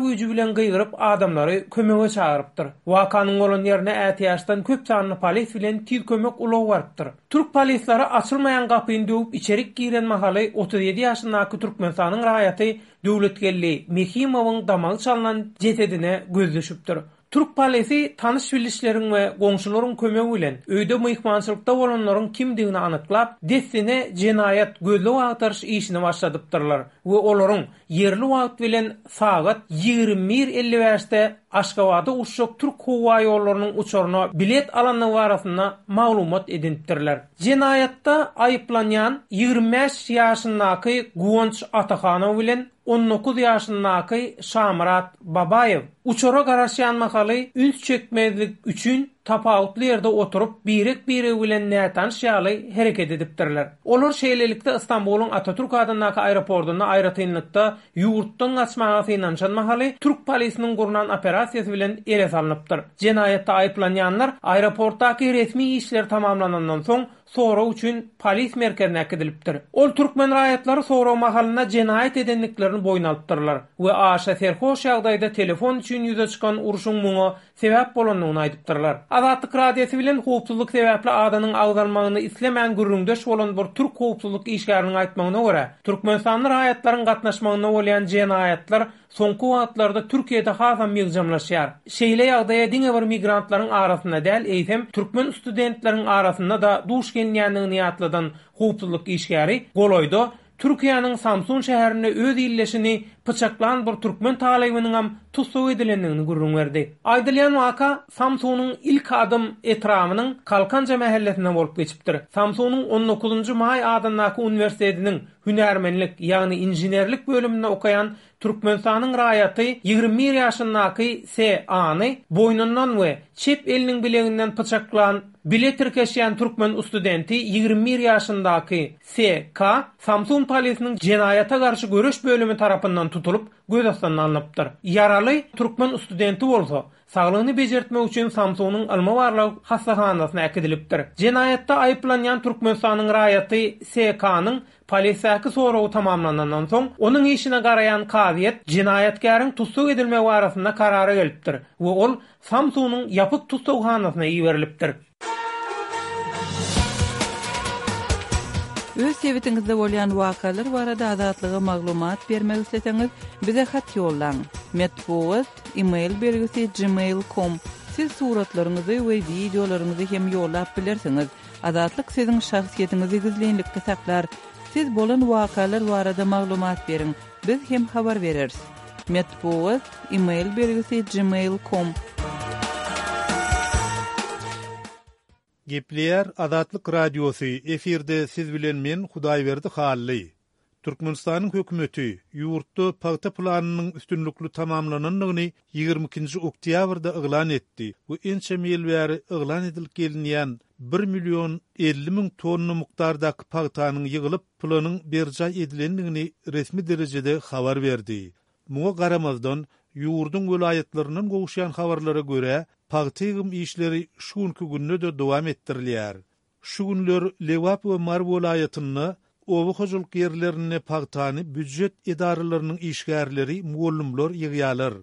güýji bilen gygyryp adamlary kömege çagyrypdyr. Wakanyň bolan ýerine ätiýaçdan köp sanly polis bilen tiz kömek ulagy barypdyr. Türk polisleri açylmaýan gapyny döwüp içerik giren mahaly 37 ýaşyndaky Türkmenistanyň raýaty Döwletgeldi Mehimowyň damagy çalnan jesedine göz düşüpdir. Türk polisi tanyş-bilişleriň we goňşularyň kömegi bilen öýde myhmançylykda bolanlaryň kimdigini anyklap, dessine jenaýat gözleg-agtaryş işini başladypdyrlar we olaryň ýerli wagt bilen sagat 21 55-de Aşgabada uçjak Türk howa ýollarynyň uçaryna bilet alandygy barasynda maglumat edinipdirler. Jenaýatda aýyplanýan 25 ýaşyndaky Guwanç Atahanow bilen 19 ýaşyndaky Şamyrat Babaýew uçara garaşýan mahaly üns çekmezlik üçin tapawutly ýerde oturyp, birek-biregi bilen nätanyş ýaly hereket edipdirler. Olar şeýlelikde Stambulyň Atatürk adyndaky aeroportunda aýratynlykda ýurtdan gaçmaga synanyşan mahaly türk polisiniň gurnan operasiýasy bilen ele salnypdyr. Jenaýatda aýyplanýanlar aeroportdaky resmi işler tamamlanandan soň sorag üçin polis merkezine äkidilipdir. Ol türkmen raýatlary sorag mahalynda jenaýat edendiklerini boýun alypdyrlar we aşa serhoş ýagdaýda telefon üçin ýüze çykan urşuň muňa sebäp bolandygyny aýdypdyrlar. Azatlyk Radiosy bilen howpsuzlyk sebäpli adynyň agzalmagyny islemän gürrüňdeş bolan bir türk howpsuzlyk işgäriniň aýtmagyna görä, türkmenistanly raýatlaryň gatnaşmagynda bolýan jenaýatlar soňky wagtlarda Türkiýede hasam ýygjamlaşýar. Şeýle ýagdaýa diňe bir migrantlaryň arasynda däl, eýsem, türkmen studentleriň arasynda-da duş gelinýändigini ýatladan howpsuzlyk işgäri golaýda Türkiýäniň Samsun şäherinde öz ildeşini pyçaklan bir türkmen talybynyňam tussag edilendigini gürrüň berdi. Aýdylýan waka Samsunyň Ilkadym etrabynyň Kalkanja mähellesinde bolup geçipdir. Samsunyň on dokuzynjy maý adyndaky uniwersitetiniň hünärmenlik, ýagny inženerlik bölüminde okaýan Türkmenistanyň raýaty 21 ýaşyndaky SA. ny boýnundan we çep eliniň bileginden pyçaklan bile tirkeşýän türkmen ustudenti 21 ýaşyndaky SK. Samsun polisiniň jenaýata garşy göreş bölümi tarapyndan tutulyp, göz astyna alnypdyr. Ýaraly türkmen studenti bolsa, saglygyny bejertmek üçin Samsunyň ylmy-barlag hassahanasyna äkidilipdir. Jenaýatda aýyplanýan Türkmenistanyň raýaty SK-nyň polisdäki soragy tamamlanandan soň, onuň işine garaýan kazyýet jenaýatkäriň tussag edilmegi barasynda karara gelipdir we ol Samsunyň ýapyk tussaghanasyna iberilipdir. Öz sebitiňizde bolýan wakalar barada Azatlyga maglumat bermek isleseňiz, bize hat ýollaň. Metbugat, e-mail belgisi gmail com. Siz suratlaryňyzy we wideolaryňyzy hem ýollap bilersiňiz. Azatlyk siziň şahsyýetiňizi gizlinlikde saklar. Siz bolan wakalar barada maglumat beriň, biz hem habar bereris. Metbugat, e-mail belgisi gmail com. Gepleýär Azatlyk Radiosy, efirde siz bilen men Hudaýberdi Hally. Türkmenistanyň hökümeti ýurtda pagta planynyň üstünlikli tamamlanandygyny 22-nji oktýabrda yglan etdi we ençeme ýyl bäri yglan edilip gelinýän bir million 50 müň tonna mukdardaky pagtanyň ýygylyp, planyň berjaý edilendigini resmi derejede habar berdi. Muňa garamazdan, ýurduň welaýatlaryndan gowuşýan habarlara görä, pagta ýygym işleri şu günki günde-de dowam etdirilýär. Şu günler Lebap we Mary welaýatynda oba hojalyk ýerlerinde pagtany býujet edaralarynyň işgärleri, mugallymlar ýygýarlar.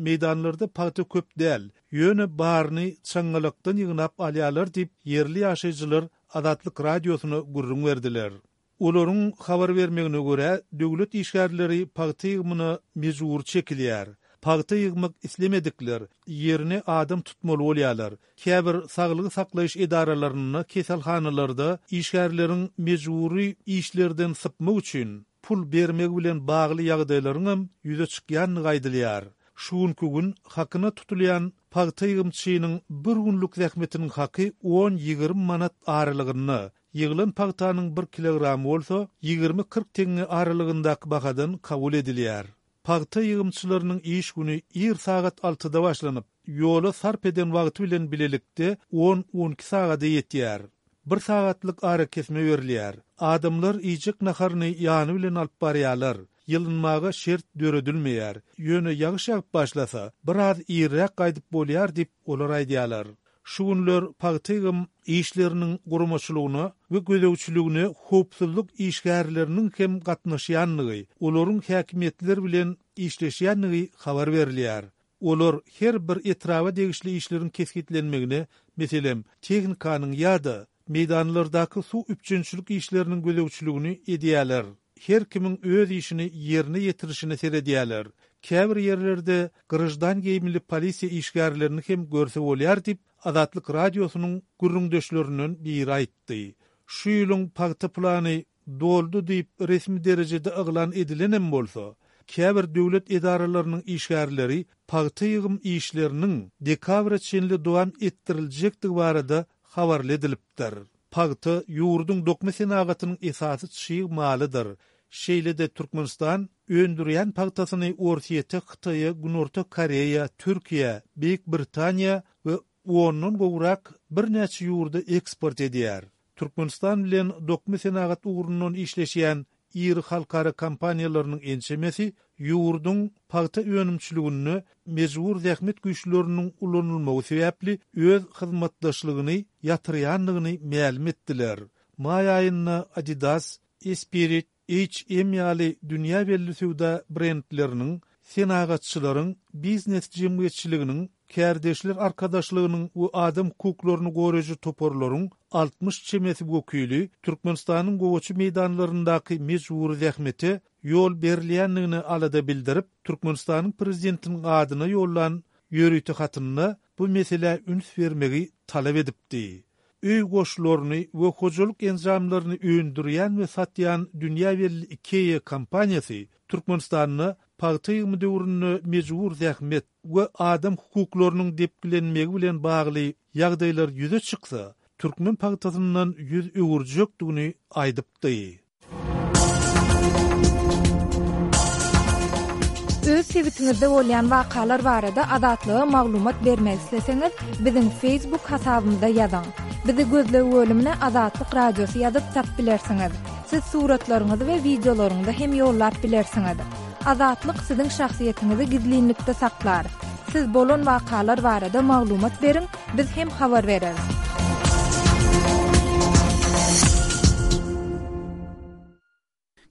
Meýdanlarda pagta köp däl, ýöne baryny çaňňalakdan ýygnap alýarlar diýip, ýerli ýaşaýjylar Azatlyk Radiosyna gürrüň berdiler. Olaryň habar bermegine görä, döwlet işgärleri pagta ýygymyna mejbury çekilýär. Pagta ýygmak islemedikler ýerine adam tutmaly bolýarlar. Käbir saglygy saklaýyş edaralarynda, keselhanalarda işgärleriň mejbury işlerden sypmak üçin pul bermegi bilen bagly ýagdaýlaryňam ýüze çykýandygy aýdylýar. Şu günki gün hakyna tutulýan pagta ýygymçynyň bir günlük zähmetiniň haky on-ýigrimi manat aralygynda, Ýygylan pagtanyň bir kilogramy bolsa 20-40 teňňe aralygyndaky bahadan kabul edilýär. Pagta ýygymçylarynyň iş güni ir sagat altyda başlanyp, ýola sarp eden wagty bilen bilelikde on-on iki sagada ýetýär. Bir sagatlyk arakesme berilýär. Adamlar iýjek naharyny ýany bilen alyp barýarlar. Ýylynmaga şert döredilmeýär. Ýöne ýagyş ýagyp başlasa, biraz irräk gaýdyp bolýar diýip, olar aýdýarlar. Şu günler pagta ýygym işleriniň guramaçylygyna we gözegçiligine howpsuzlyk işgärleriniň hem gatnaşýandygy, olaryň häkimiýetler bilen işleşýändigi habar berilýär. Olar her bir etraba degişli işleriň kesgitlenmegine, meselem, tehnikanyň ýa-da meýdanlardaky suw üpjünçilik işleriniň gözegçiligini edýärler. Her kimiň öz işini ýerine ýetirişine seredýärler. Käbir ýerlerde graždan geýimli polisiýa işgärlerini hem görse bolýar diýip, Azatlyk Radiosynyň gürrüňdeşlerinden biri aýtdy. Şu ýylyň pagta plany doldy diýip resmi derejede yglan edilenem bolsa, käbir döwlet edaralarynyň işgärleri pagta ýygym işleriniň dekabra çenli dowam etdiriljekdigi barada habarly edilipdir. Pagta ýurduň dokma senagatynyň esasy çig malydyr. Şeýle-de Türkmenistan öndürýän pagtasyny Orsýete, Hytaýa, Günorta Koreýa, Türkiýä, Beýik Britaniýa we ondan gowrak birnäçe ýurda eksport edýär. Türkmenistan bilen dokma senagat ugrundan işleşýän iri halkara kompaniýalarynyň ençemesi ýurduň pagta önümçiliginde mejbur zähmet güýçleriniň ulanylmagy sebäpli öz hyzmatdaşlygyny ýatyrýandygyny mälim etdiler. Maý aýynda Adidas, Esprit, H&M ýaly dünýä belli söwda brendleriniň, senagatçylaryň, biznes jemgyýetçiliginiň, kärdeşler arkadaşlygynyň we adam hukuklaryny goraýjy toparlaryň 60 çemesi wekili Türkmenistanyň gowaça meýdanlaryndaky mejbury zähmete ýol berilýändigine alada bildirip, Türkmenistanyň Prezidentiniň adyna ýollan ýörite hatynda bu meselä üns bermegi talap edipdi. Öý goşlaryny we hojalyk enjamlaryny öndürýän we satýan dünýä belli IKEA kompaniýasy Türkmenistanda pagta ýygymy döwründe mejbur zähmet we adam hukuklarynyň depgilenmegi bilen bagly ýagdaýlar ýüze çyksa, türkmen pagtasyndan ýüz öwürjekdigini aýdypdy. Öz sebitiňizde bolýan wakalar barada Azatlyga maglumat bermek isleseňiz, biziň Facebook hasabymyza ýazyň. Bizi gözleg bölümine Azatlyk Radiosy ýazyp tap bilersiňiz. Siz suratlaryňyzy we wideolaryňyzy hem ýollap bilersiňiz. Azatlyk siziň şahsyýetiňizi gizlinlikde saklar. Siz bolan wakalar barada maglumat beriň, biz hem habar bereris.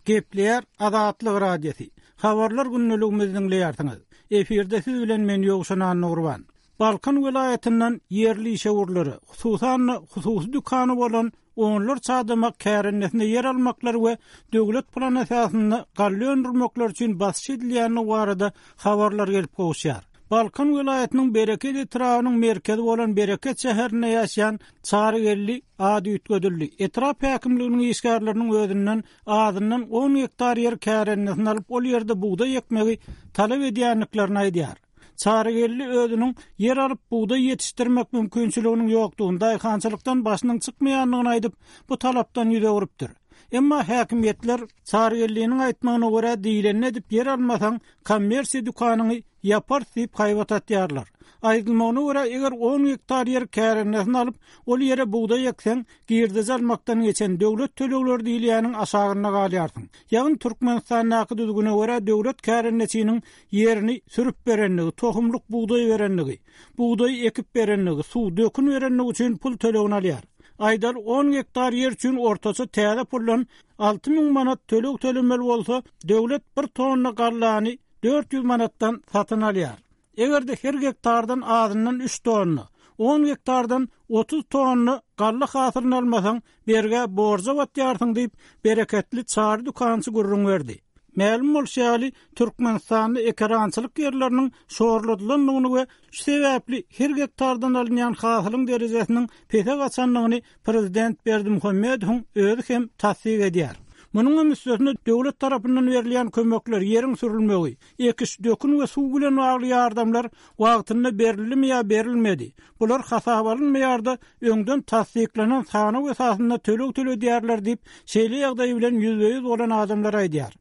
Gepleýär Azatlyk Radiosy. Habarlar gündeligimizi diňleýärsiňiz. Efirde siz bilen men Ýowşan Annagurban. Balkan welaýatyndan ýerli işewürlere, hususan-da, hususy dükany bolan onlarça adama kärendesinde ýer almaklary we döwlet plany esasynda galla öndürmekleri üçin basyş edilýändigi barada habarlar gelip gowuşýar. Balkan welaýatynyň Bereket etrabynyň merkezi bolan Bereket şäherinde ýaşaýan Çary Geldi, ady üýtgedildi, etrap häkimliginiň işgärleriniň özünden azyndan on gektar ýer kärendesine alyp, ol ýerde bugdaý ekmegi talap edýändiklerini aýdýar. Çary Geldi özüniň ýer alyp, bugdaý ýetişdirmek mümkinçiliginiň ýokdugyny, daýhançylykdan başynyň çykmaýandygyny aýdyp, bu talapdan ýüz öwrüpdir. Emma häkimiýetler, Çary Geldiniň aýtmagyna görä, diýlenini edip ýer almasaň, kommersiýa dükanyňy ýaparys diýip haýbat atýarlar. Aýdylmagyna görä, eger on gektar ýer kärendesine alyp, ol ýere bugdaý ekseň, girdeji almakdan geçen döwlet tölegleri diýilýäniň aşagynda galýarsyň. Ýagny Türkmenistandaky düzgüne görä döwlet kärendeçiniň ýerini sürüp berenligi, tohumlyk bugdaý berenligi, bugdaýy ekip berenligi, suw, dökün berenligi üçin pul tölegini alýar. Aýdaly, on gektar ýer üçin ortaça täze puldan 6000 manat töleg tölemeli bolsa, döwlet bir tonna gallany 400 manatdan satyn alýar. Eger-de her gektardan azyndan üç tonna, on gektardan 30 tonna galla hasylyny almasaň, bergä, borja batýarsyň diýip, bereketli Çary dükançy gürrüň berdi. Mälim bolşy ýaly, Türkmenistanda ekerançylyk ýerleriniň şorladylandygyny we şu sebäpli her gektardan alynýan hasylyň derejesiniň pese gaçandygyny prezident Berdimuhamedowyň özi hem tassyk edýär. Munuň hem üstesine döwlet tarapyndan berilýän kömekler, ýeriň sürülmegi, ekiş, dökün we suw bilen bagly ýardamlar wagtynda berildimi ýa berilmedi, bular hasaba alynmaýar-da, öňden tassyklanan sanaw esasynda töleg töledýärler diýip, şeýle ýagdaý bilen ýüzbe-ýüz bolan adamlar aýdýar.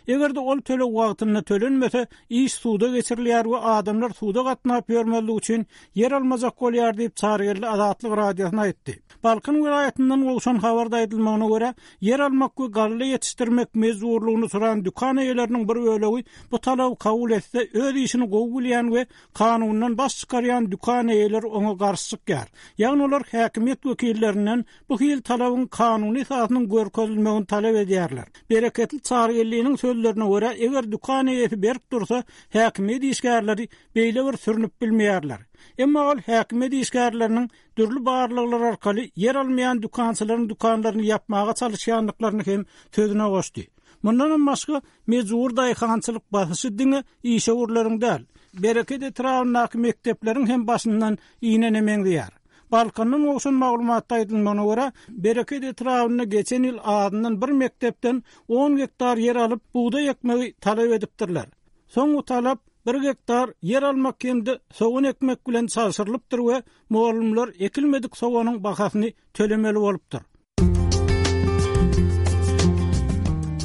Eger-de ol töleg wagtynda tölenmese, iş suda geçirilýär we adamlar suda gatnap ýörmezlik üçin ýer almajak bolýar diýip, Çarygeldi Azatlyk Radiosyna aýtdy. Balkan welaýatyndan gowşan habarda aýdylmagyna görä, ýer almak we galla ýetişdirmek mejburlygyny soran dükan eýeleriniň bir bölegi bu talaby kabul etse, öz işini gowy bilýän we kanundan baş çykarýan dükan eýeleri oňa garşy çykýar. Ýagny olar häkimiýet wekillerinden bu hili talabyň kanuny esasynyň görkezilmegini talap edýärler. Bereketli Çarygeldiniň sözlerine görä, eger dükan eýesi berk dursa, häkimiýet işgärleri beýle bir sürnüp bilmeýärler. Emma ol häkimiýet işgärleriniň dürli barlaglar arkaly ýer almaýan dükançylaryň dükanlaryny ýapmaga çalyşýandyklaryny hem sözüne goşdy. Mundanam başga, mejbury daýhançylyk basyşy diňe işewürleriň däl, Bereket etrabyndaky mekdepleriň hem başyndan inene meňzeýär. Balkandan gowşan maglumatda aýdylmagyna görä, Bereket etrabynda geçen ýyl azyndan bir mekdepden on gektar ýer alyp, bugdaý ekmegi talap edipdirler. Soň bu talap bir gektar ýer almak hem-de sogan ekmek bilen çalşyrylypdyr we mugallymlar ekilmedik soganyň bahasyny tölemeli bolupdyr.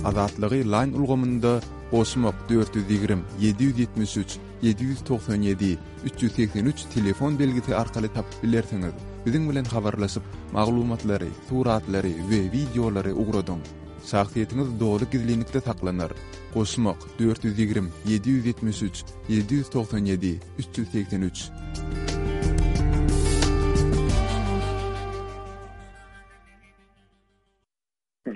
Azatlygy Line ulgamynda goşmak 420 773 797 383 telefon belgisi arkaly tapyp bilersiňiz. Biziň bilen habarlaşyp, maglumatlary, suratlary we wideolary ugradyň. Şahsyýetiňiz doly gizlinlikde saklanar. Goşmak, 420, 773, 797, 383.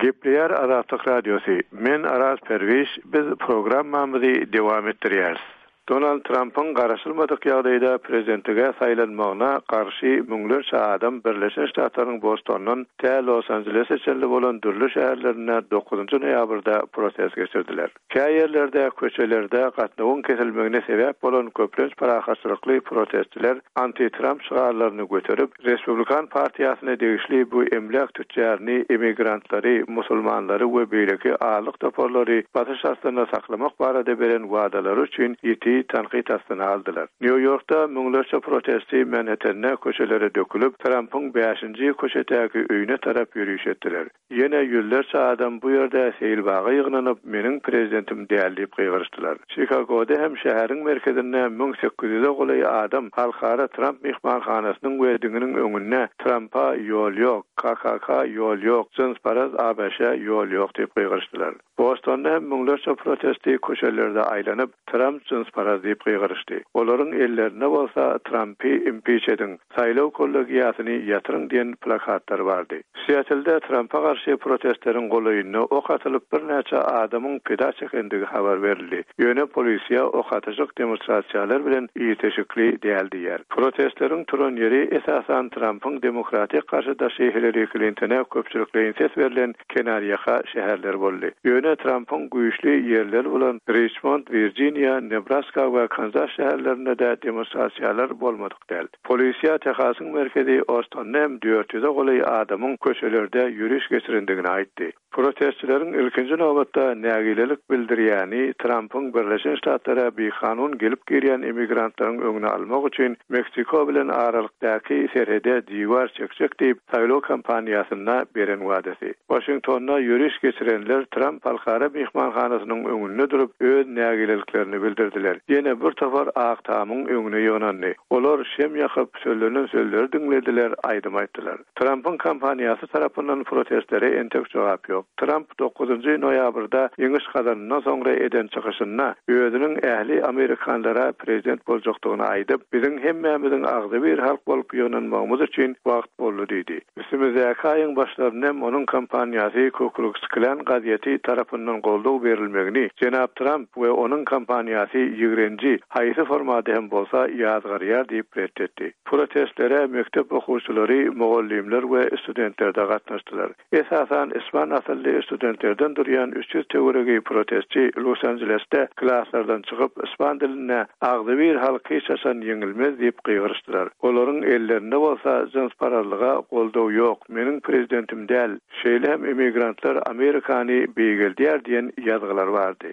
Gepleýär Azatlyk Radiosy, Men Araz Perwiş, biz programmamyzy dowam etdirýäris. Donald Trampyň garaşylmadyk ýagdaýda prezidentlige saýlanmagyna garşy müňlerçe adam Birleşen Ştatlaryň Bostondan tä Los-Anjelese çenli bolan dürli şäherlerinde dokuzynjy noýabrda protest geçirdiler. Kä ýerlerde köçelerde gatnawyň kesilmegine sebäp bolan köplenç parahatçylykly protestçiler anti-Tramp şygarlaryny göterip, Respublikan partiýasyna degişli bu emläk tütjaryny emmigrantlary, musulmanlary we beýleki azlyk toparlary basyş astynda saklamak barada beren wadalary üçin ýiti tankyt astyna aldylar. Nýu-Ýorkda müňlerçe protestçi Manhettende köçelere dökülip, Trampyň bäşinji köçedäki öýüne tarap ýöriş etdiler. Ýene ýüzlerçe adam bu ýerde seýilbaga ýygnanyp, Meniň prezidentim däl diýip gygyryşdylar. Çikagoda hem şäheriň merkezinde 1800-e golaý adam Halkara Tramp myhmanhanasynyň we diňiniň öňünde Trampa ýol ýok, KKK ýol ýok, jynsparaz ABŞ-a ýol ýok diýip gygyryşdylar. Bostonda hem müňlerçe protestçi köçelerde aýlanyp, Tramp jynsparaz diýip gygyryşdy. Olaryň ellerinde bolsa Trampy impiç ediň, saýlaw kollegiýasyny ýatyryň diýen plakatlar bardy. Siatlde Trampa garşy protestleriň golaýynda ok atylyp birnäçe adamyň pida çekendigi habar berildi. Ýöne polisiýa ok atyşyk demonstrasiýalar bilen ilteşikli däl diýýär. Protestleriň turan ýeri esasan Trampyň demokratik garşydaşy Hillari Klintone köpçülikleýin ses berlen kenarýaka şäherler boldy. Ýöne Trampyň güýçli ýerleri bolan Riçmond, Wirjiniýa, Nebraska we Kanzas şäherlerinde-de demonstrasiýalar bolmadyk däl. Polisiýa Tehasyň merkezi Ostonda hem 400-e golaý adamyň köçelerde ýöriş geçirendigini aýtdy. Protestçileriň ilkinji nobatda nägilelik bildirýäni Trampyň Birleşen Ştatlara bikanun gelip girýän immigrantlaryň öňüni almak üçin Meksiko bilen aralykdaky serhede diwar çekjek diýip, saýlaw kampaniýasynda beren wadasy. Waşingtonda ýöriş geçirenler Tramp Halkara myhmanhanasynyň öňünde durup, öz nägileliklerini bildirdiler. Ýene bir topar Ak Tamyň öňüne ýygnandy. Olar şem ýakyp, sözlenen sözleri diňlediler, aýdym aýtdylar. Trampyň kampaniýasy tarapyndan protestlere entek jogap ýok. Tramp dokuzynjy noýabrda ýeňiş gazanandan soňra eden çykyşynda özüniň ähli amerikanlara prezident boljakdygyny aýdyp, biziň hemmämiziň agzybir halk bolup ýygnanmagymyz üçin wagt boldy diýdi. Üstümizdäki aýyň başlarynda hem onuň kampaniýasy Ku Kluks Klan gazeti tarapyndan goldaw berilmegini jenap Tramp we onuň kampaniýasy ýigrenji, haýsy formada hem bolsa ýazgarýar diýip ret etdi. Protestlere mekdep okuwçylary, mugallymlar we studentler-de gatnaşdylar. Esasan ispan asylly studentlerden durýan 300 töweregi protestçi Los-Anjelesde klaslardan çykyp, ispan dilinde Agzybir halk hiç haçan ýeňilmez diýip gygyryşdylar. Olaryň ellerinde bolsa jynsparazlyga goldaw ýok, meniň prezidentim däl, şeýle hem immigrantlar Amerikany beýgeldýär diýen ýazgylar bardy.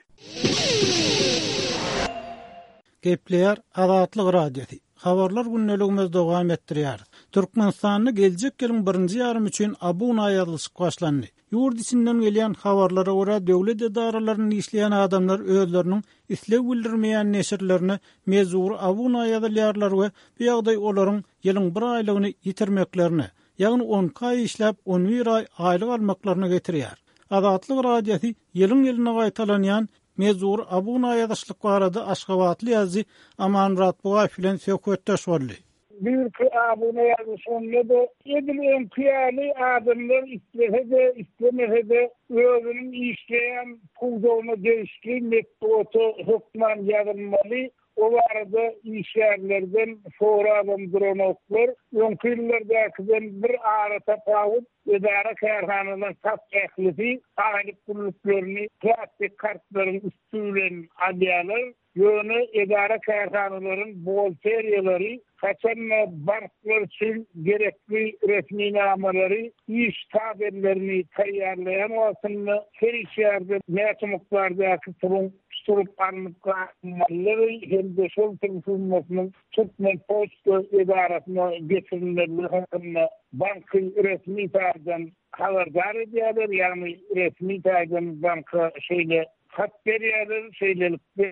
Gepleýär Azatlyk Radiosy. Habarlar gündeligimizi dowam etdirýäris. Türkmenistanda geljek ýylyň birinji ýarymy üçin abuna ýazylyşyk başlandy. Ýurt içinden gelýän habarlara görä, döwlet edaralarynda işleýän adamlar özleriniň isleg bildirmeýän neşirlerine mejbury abuna ýazylýarlar we bu ýagdaý olaryň ýylyň bir aýlygyny ýitirmeklerine, ýagny on iki aý işläp, on bir aý aýlyk almaklaryna getirýär. Azatlyk Radiosy ýylyň-ýylyna gaýtalanýan mejbury abuna ýazyşlyk barada aşgabatly ýazyjy Amanmyrat Bugaýew bilen söhbetdeş boldy. Bu ýylky abuna ýazylyşygynda-da edil öňki ýaly adamlar islese-de, islemese-de özüniň işleýän pudagyna degişli metbugata hökman ýazylmaly. O barada işgärlerden sorabam duranoklar. Öňki ýyllardakydan bir aratapawut, edara-kärhanalaryň tas ählisi aýlyk günlüklerini plastik kartlaryň üsti bilen alýarlar. Ýöne edara-kärhanalaryň buhgalteriýalary haçan-da banklar üçin gerekli resminamalary, iş tabellerini taýýarlaýan wagtynda her işgärden näçe mukdardaky puluň tutulyp alnyp galynmalydygy hem-de şol pul summasynyň Türkmenpoçta edarasyna geçirilmelidigi hakynda banky resmi taýdan habardar edýärler, ýagny resmi taýdan banka şeýle hat berýärler, şeýlelikde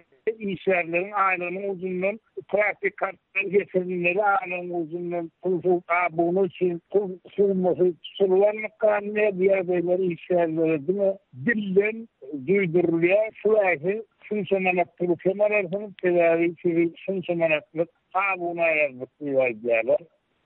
işgärleriň aýlygynyň ujundan plastik kartlar geçirilmeli aýlygyň ujundan pul abuna üçin pul summasy tutulyp alnyp galynýar, bu ýagdaýlar işgärlere diňe dilden duýdurylýar, şu aý siz şunça manat puly kem alarsyňyz, sebäbi sizi şunça manatlyk abuna ýazdyk diýip aýdýarlar.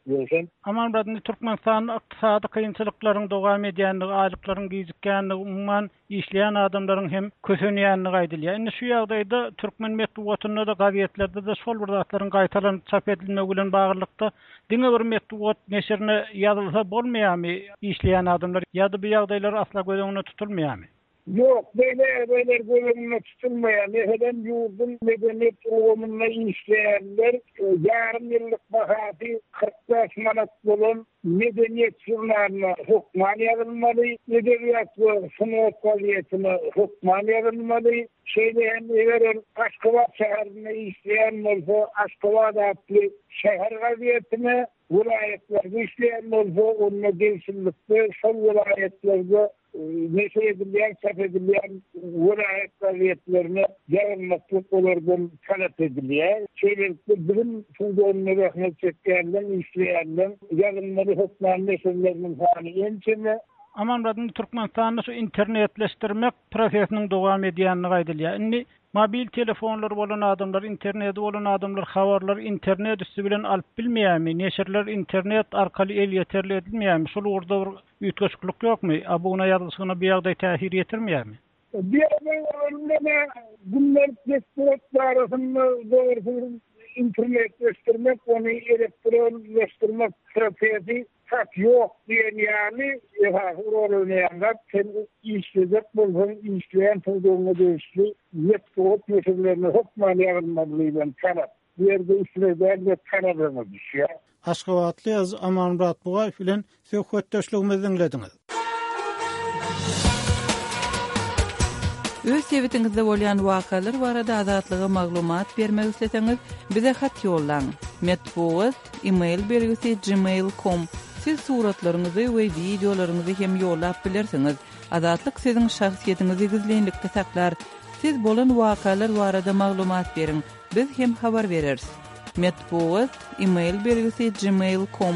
Ýöwşen. Amanmyrat, indi Türkmenistanda ykdysady kynçylyklaryň dowam edýändigi, aýlyklaryň gijikýändigi, umuman, işleýän adamlaryň hem kösenýändigi aýdylýar. Indi şu ýagdaýda türkmen metbugatynda-da, gazetlerde-de şol bir zatlaryň gaýtalanyp çap edilmegi bilen baglylykda, diňe bir metbugat neşirine ýazylsa bolmaýarmy işleýän adamlar ýa-da bu ýagdaýlar asla göz öňünde tutulmaýarmy? Ýok, beýle ýagdaýlar göz öňünde tutulmaýar. Meselem, ýurduň medeniýet ulgamynda işleýänler ýarym ýyllyk bahasy 45 manat bolan Medeniýet žurnalyna hökman ýazylmaly, Edebiýat we sungat gazetine hökman ýazylmaly. Şeýle hem eger ol Aşgabat şäherinde işleýän bolsa, Aşgabat atly şäher gazetine, welaýatlarda işleýän bolsa, onda degişlilikde şol welaýatlarda neşir edilýän, çap edilýän welaýat gazetlerine ýazylmaklyk olardan talap edilýär. Şeýlelikde, bilim pudagynda zähmet çekýänleň, işleýänleň ýazylmaly hökmany neşirleriniň sany ençeme. Amanmyrat, indi Türkmenistanda şu internetleşdirmek prosesiniň dowam edýändigi aýdylýar. Indi Mobil telefonlary bolan adamlar, interneti bolan adamlar habarlary internet üsti bilen alyp bilmeýärmi? Neşirler internet arkaly elýeterli edilmeýärmi? Şul ugurda bir üýtgeşiklik ýokmy? Abuna ýazgyşygyna bu ýagdaý täsir ýetirmeýärmi? Bu ýagdaý bolanda gündelik metbugat barasynda dogrusy bir internetleşdirmek, ony elektronlaşdyrmak prosesi Tas ýok diýen ýaly esasy rol oýnaýan zat sen işlejek bolsaň işleýän pudagyňa degişli metbugat neşirlerine hökman ýazylmaly diýlen talap. Bu ýerde isleg däl-de talap öňe düşýär. Aşgabatly ýazyjy Amanmyrat Bugaýew bilen söhbetdeşligimizi diňlediňiz. Öz sebitiňizde bolýan wakalar barada Azatlyga maglumat bermek isleseňiz, bize hat ýollaň. Metbugat, e-mail belgisi gmail com. Siz suratlaryňyzy we wideolaryňyzy hem ýollap bilersiňiz. Azatlyk siziň şahsyýetiňizi gizlinlikde saklar. Siz bolan wakalar barada maglumat beriň, biz hem habar bereris. Metbugat, e-mail belgisi gmail com.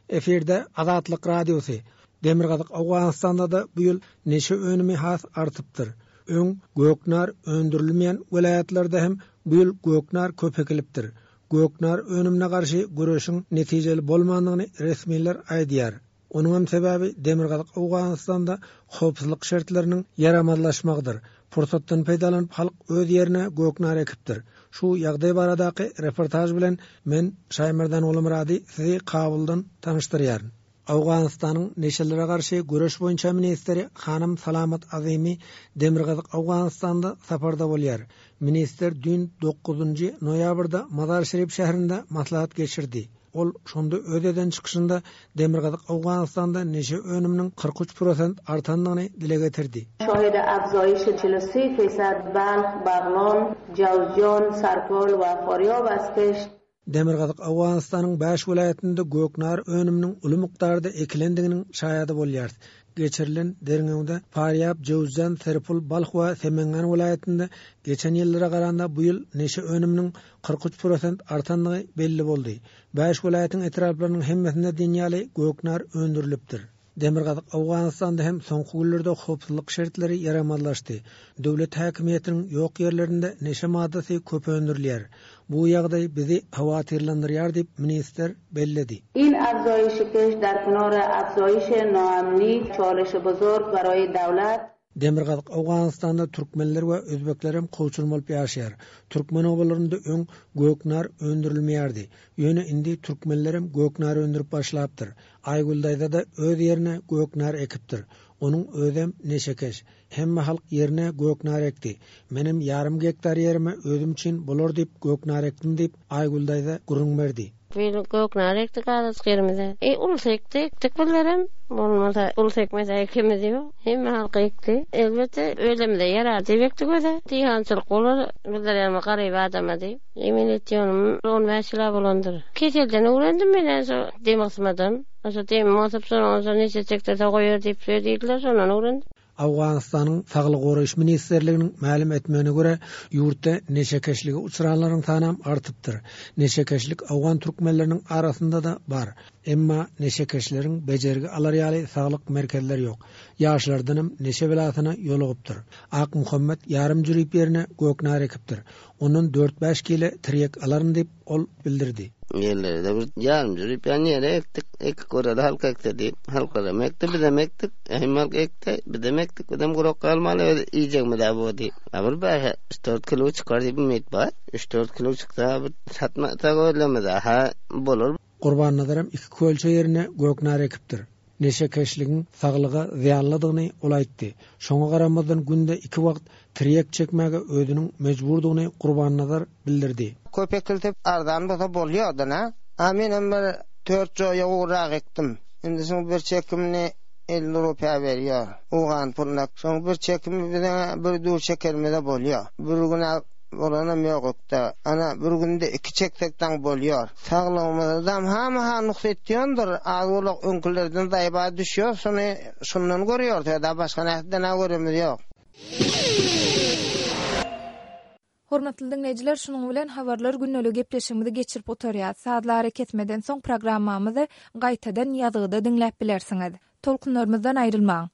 Efirde Azatlyk Radiosy. Demirgazyk Owganystanda-da bu ýyl neşe önümi has artypdyr. Öň göknar öndürilmeýän welaýatlarda hem bu ýyl göknar köp ekilipdir. Göknar önümine garşy göreşiň netijeli bolmandygyny resmiler aýdýar. Onuňam sebäbi Demirgazyk Owganystanda howpsuzlyk şertleriniň ýaramazlaşmagydyr. Pursatdan peýdalanyp halk öz ýerine göknar ekipdir. Şu ýagdaý baradaky reportaž bilen men Şaýmerdan Gulumyrady sizi Kabuldan tanyşdyrýaryn. Owganystanyň neşelere garşy göreş boýunça ministri hanym Salamat Azymy Demirgazyk Owganystanda saparda bolýar. Ministr düýn dokuzynjy noýabrda Mazar-Şerif şäherinde maslahat geçirdi. Ol şonda öz eden çykyşynda Demirgazyk Owganystanda neşe önüminiň 43 prosent artandygyny dile getirdi. Şahid afzayiş 43 fisad Balh, Baglan, Jawzjan, Sarpol we Faryab az keşt. Demirgazyk Owganystanyň bäş welaýatynda göknar önüminiň uly mukdarda ekilendiginiň şaýady bolýarys. Geçirilen derňewde Farýab, Jöwüzjan, Serpul, Balh we Semengan welaýatynda geçen ýyllara garanda bu ýyl neşe önüminiň 43 prosent artandygy belli boldy. Bäş welaýatyň etraplarynyň hemmesinde diýen ýaly göknar öndürilipdir. Demirgazyk Owganystanda hem soňky günlerde howpsuzlyk şertleri ýaramazlaşdy. Döwlet häkimiýetiniň ýok ýerlerinde neşe maddasy köp öndürilýär. Bu ýagdaý bizi howatyrlandyrýar diýip, ministr belledi. In afzayiş keşt dar kenar afzayiş naamni çaleş bozorg baraye dawlat. Demirgazyk Owganystanda türkmenler we özbeklerem kowçum bolup ýaşaýar. Türkmen obalarynda öň göknar öndürilmeýärdi. Ýöne indi türkmenlerem göknar öndürip başlapdyr. Aýgül daýza-da öz ýerine göknar ekipdir. Onuň özem neşekeş. Hemme halk ýerine göknar ekdi. Menem ýarym gektar ýerime özüm üçin bolar diýip göknar ekdim diýip, Aýgül daýza gürrüň berdi. Bir göknar ekdik azajyk ýerimize. E, ulusy ekdi, ekdik bizlerem. Bolmasa, ulusy ekmese ekimiz ýok. Hemme halk ekdi. Elbetde, özümize ýarar diýip ekdik özä. Diýhançylyk bolar, bizler ýaly garyp adama diýip. Emin etýänim, on bäş ýyl-a bolandyr. Keselden öwrendim men-ä şo dem gysmadan. Şo demim gysyp, şondan soň neçe çekdirse goýar diýip, şeý diýdiler, şondan öwrendim. Owganystanyň Saglygy goraýyş ministrliginiň mälim etmegine görä, ýurtda neşekeşlige uçranlaryň sanam artypdyr. Neşekeşlik owgan türkmenleriniň arasynda-da bar. Emma neşekeşleriň bejergi alar ýaly saglyk merkezleri ýok. Ýaşlardanam neşe belasyna ýolugypdyr. Akmuhammet ýarym jürip ýerine göknar ekipdir. Ondan dört-bäş kile tirýek alaryn diýip, ol bildirdi. Ýerleri-de bir ýarym jürip ýan ýere ekdik. Ekip göreli halk ekse diýip. Halklaram ekdi, bizem ekdik. Hemme halk ekdi, bizem ekdik. Bizem gurak galmaly öz iýjegimiz-ä bu diýip. A bir bäş, üç-dört kilo çykar diýip umyt bar. Üç-dört kilo çyksa bir satmasak özlerimize-hä bolar. Gurbannazaram iki kölçe ýerine göknar ekipdir. Neşekeşligiň saglyga zyýanlydygyny ol aýtdy. Şoňa garamazdan günde iki wagt tirýek çekmäge özüniň mejburdygyny Gurbannazar bildirdi. Köp ekilse arzan bolsa bolýardan-a. A menem bir tört joýa gowrak ekdim. Indi şuň bir çekimini 50 rupýa berýär owgan puluna. Şoň bir çekimi biziň bir dür çekenimize bolýar. Bir gün-ä bolanam ýok ekde. Ana bir günde iki çeksek daň bolýar. Saglygymyzam hamaha nuks etýändir, az-owlak öňkülerden zaýba düşýär, şony şundan görýäris, ýa-da başga nähiden-ä göremiz ýok. Hormatly diňleýjiler, şunuň bilen Habarlar gündeliği gepleşigimizi geçirip gutarýas. Sazly arakesmeden soň programmamyzy gaýtadan ýazgyda diňläp bilersiňiz. Tolkunlarymyzdan aýrylmaň!